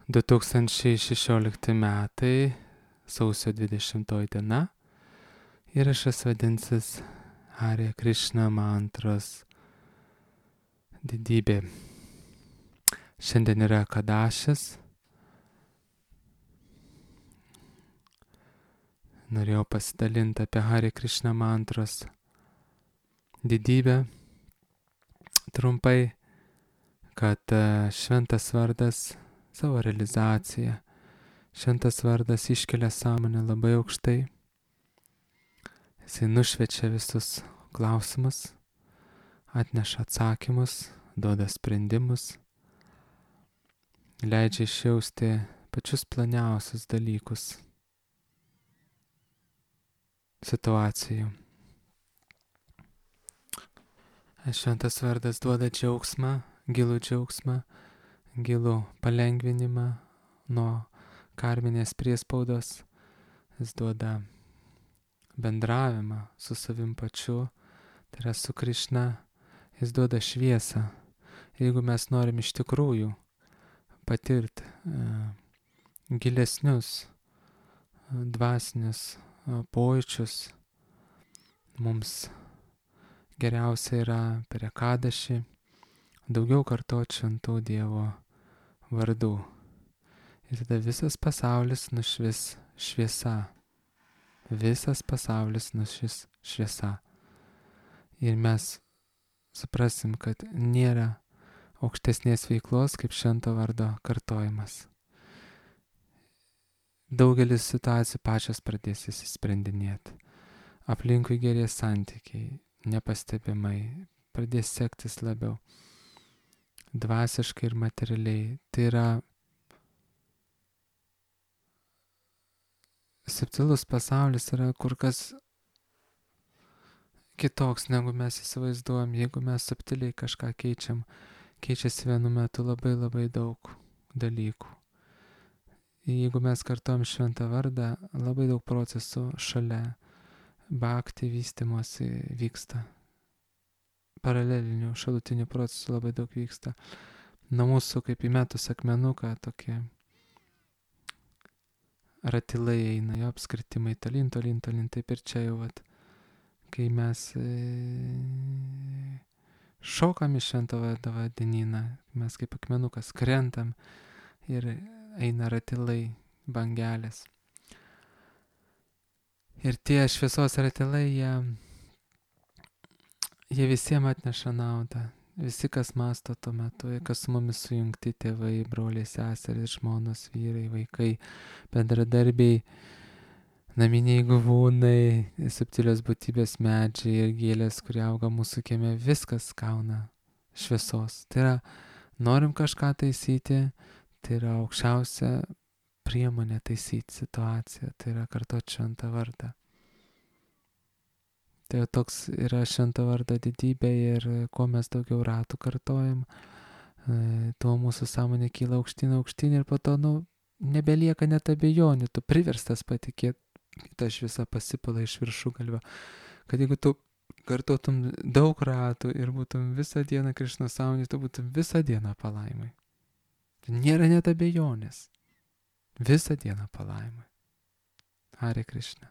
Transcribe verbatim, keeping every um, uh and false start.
du tūkstančiai šešiolikti metai, sausio dvidešimtoji diena. Įrašas vadinsis Hare Krishna mantros didybė. Šiandien yra Kadašis. Norėjau pasidalinti apie Hare Krishna mantros didybę trumpai, kad šventas vardas savo realizaciją, šventas vardas iškelia sąmonę labai aukštai. Jisai nušviečia visus klausimus, atneša atsakymus, duoda sprendimus, leidžia išjausti pačius planiausius dalykus situacijų. Šventas vardas duoda džiaugsmą, gilų džiaugsmą, gilų palengvinimą nuo karminės priespaudos. Jis duoda bendravimą su savim pačiu, tai yra su Krišna. Jis duoda šviesą. Jeigu mes norim iš tikrųjų patirti uh, gilesnius uh, dvasinius uh, pojūčius, mums geriausia yra per Ekadašį daugiau kartoti šventų Dievo vardų. Ir tada visas pasaulis nušvis šviesa. Visas pasaulis nušvis šviesa. Ir mes suprasim, kad nėra aukštesnės veiklos kaip švento vardo kartojimas. Daugelis situacijų pačios pradės įsisprendinėti. Aplinkui gerės santykiai, nepastebimai, pradės sektis labiau. Dvasiškai ir materialiai. Tai yra subtilus pasaulis, yra kur kas kitoks, negu mes įsivaizduojam. Jeigu mes subtiliai kažką keičiam, keičiasi vienu metu labai labai daug dalykų. Jeigu mes kartuojam šventą vardą, labai daug procesų šalia bhakti vystymosi vyksta. Paralelinių, šalutinių procesų labai daug vyksta. Nuo mūsų kaip įmetus akmenuką tokie ratilai eina, jo apskritimai tolyn, tolyn, tolyn. Taip ir čia jau, vat, kai mes e, šokam iš švento vardo vandenyną, mes kaip akmenukas krentam ir eina ratilai, bangelės. Ir tie šviesos ratilai, jie, jie visiems atneša naudą. Visi, kas masto tuo metu, kas su mumis sujungti, tėvai, broliai, seserys, žmonos, vyrai, vaikai, bendradarbiai, naminiai gyvūnai, subtilios būtybės, medžiai ir gėlės, kurie auga mūsų kieme, viskas gauna šviesos. Tai yra, norim kažką taisyti, tai yra aukščiausia priemonė taisyti situaciją, tai yra kartoti šventą vardą. Tai toks yra švento vardo didybė ir kuo mes daugiau ratų kartojam, tuo mūsų sąmonė kyla aukštyn, aukštyn ir po to, nu, nebelieka net abejonių, tu priverstas patikėti, ta šviesa pasipila iš viršugalvio. Kad jeigu tu kartotum daug ratų ir būtum visą dieną Krišnos sąmonė, tu būtum visą dieną palaimai. Nėra net abejonės. Visą dieną palaimai. Hare Krishna.